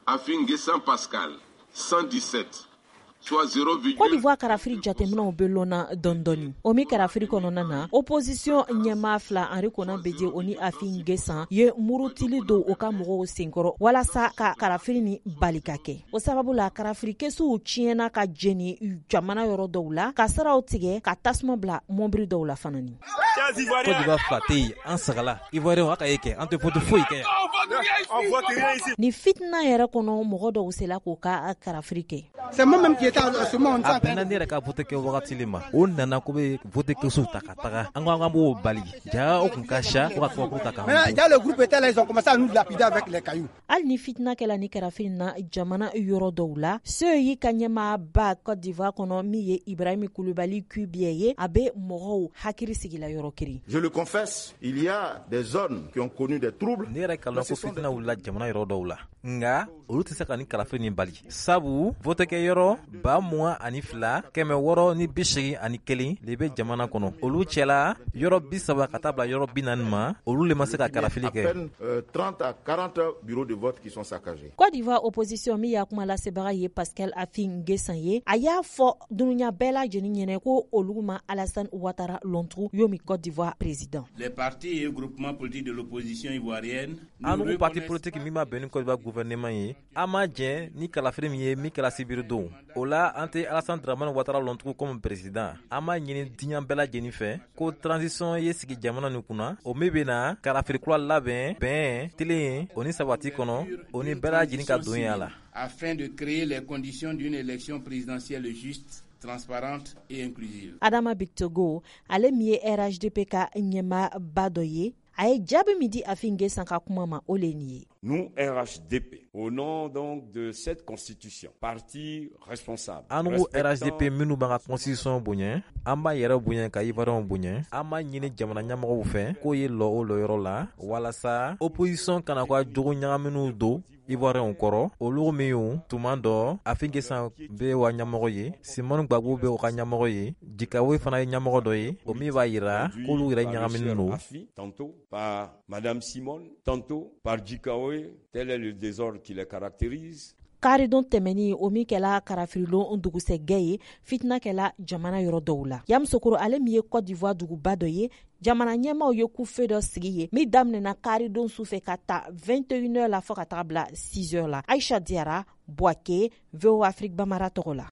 Affi N'Guessan Pascal, 117, soit 0, Côte d'Ivoire karafiri jateminɛw bɛ lɔnna dɔɔni dɔɔni. O min karafiri kɔnɔna na, opposition ɲɛmaa fila, Henri Konan Bédié o ni Affi N'Guessan, ye murutili don u ka mɔgɔw senkɔrɔ walasa ka karafiri ni bali ka kɛ. O sababu la, karafiri kɛsuw tiɲɛna ka jeni jamana yɔrɔ dɔw la, ka siraw tigɛ, ka tasuma bila mɔbili dɔw la fana ni. Côte d'Ivoire fila tɛ yen, an sagala. Ivoirien, a ka ye kɛ, an tɛ vote foyi kɛ yan. Ni fitina yɛrɛ kɔnɔ, mɔgɔ dɔw sela k'u ka karafiri kɛ. C'est moi-même qui étais à ce moment. A bɛnna ne yɛrɛ ka vote kɛ wagati le ma. O nana ko bɛ vote kɛsuw ta ka taga, an ko an b'o bali. Ja, o kun ka siya ko ka kabakuru ta k'an. Maintenant, déjà le groupe était là, ils ont commencé à nous lapider avec les cailloux. Hali ni fitina kɛla ni karafiri na jamana yɔrɔ dɔw la, CEI ka ɲɛmaaba Côte d'Ivoire kɔnɔ, min ye Ibrahim Kulubali Kubiɛ ye, a bɛ mɔgɔw hakili sigila yɔrɔ kelen. Je le confesse, il y a des zones qui ont connu des troubles. Ne yɛrɛ kalan ko fitina wulila jamana yɔrɔ dɔw la, nga olu tɛ se ka ni kalafili nin bali, sabu vote kɛ yɔrɔ 22,681 le bɛ jamana kɔnɔ. Olu cɛla, yɔrɔ 30 ka taa bila yɔrɔ 40 ma, olu le ma se ka kalafili À kɛ. Peine 30 à 40 bureaux de vote qui sont saccagés. Côte d'Ivoire opposition, min y'a kuma lasebaga ye Pascal Affi N'Guessan ye, a y'a fɔ dunuya bɛɛ lajɛlen ɲɛnɛ ko olu ma Alassane Ouattara lɔntugu yomi Côte d'Ivoire président. Les partis et groupements politiques de l'opposition ivoirienne An ko parti politique min ma bɛn ni Côte d'Ivoire gouvernement ye, an ma jɛn ni kalafili min ye min kɛla sibiri don o la, an tɛ Alassane Dramane Ouattara lɔntugu comme président. An b'a ɲini diɲɛ bɛɛ lajɛlen fɛ ko transition ye sigi jamana nin kunna, o min bɛna kalafili kura labɛn bɛn tilen o ni sabati kɔnɔ, o ni bɛɛ lajɛlen ka don ya la. Afin de créer les conditions d'une élection présidentielle juste, transparente et inclusive. Adama Bictogo, ale min ye RHDP ka ɲɛmaaba dɔ ye, a ye jaabi min di Affi N'Guessan ka kuma ma, o le ye nin ye. Nous, RHDP, au nom donc de cette constitution, parti responsable, An ko RHDP minnu b'an ka constitution bonya, an b'a yɛrɛ bonya ka Ivoiriyɛnw bonya. An b'a ɲini jamana ɲɛmɔgɔw fɛ k'o ye lɔ o lɔyɔrɔ la walasa opposition kana ka jogo ɲagaminiw don Ivoiriyɛnw kɔrɔ. Olu minnu tuma dɔ, Affi N'Guessan bɛ wa ɲɛmɔgɔ ye, Simone Gbagbo bɛ o ka ɲɛmɔgɔ ye, Guikahué fana ye ɲɛmɔgɔ dɔ ye, o min b'a yira k'olu yɛrɛ ɲagaminen don. Tantôt par Madame Simone, tantôt par Guikahué, tel est le désordre qui les caractérise. Karidon tɛmɛni, o min kɛla karafirilon dugusɛgɛ ye, fitina kɛla jamana yɔrɔ dɔw la. Yamoussoukro, ale min ye Côte d'Ivoire duguba dɔ ye, jamana ɲɛmaw ye couvre-feu dɔ sigi ye min daminɛna karidon su fɛ ka ta 21 heures la fɔɔ ka taga bila 6 heures la. Aisha Diara, Bouaké, VOA Afrique Bambara tɔgɔ la.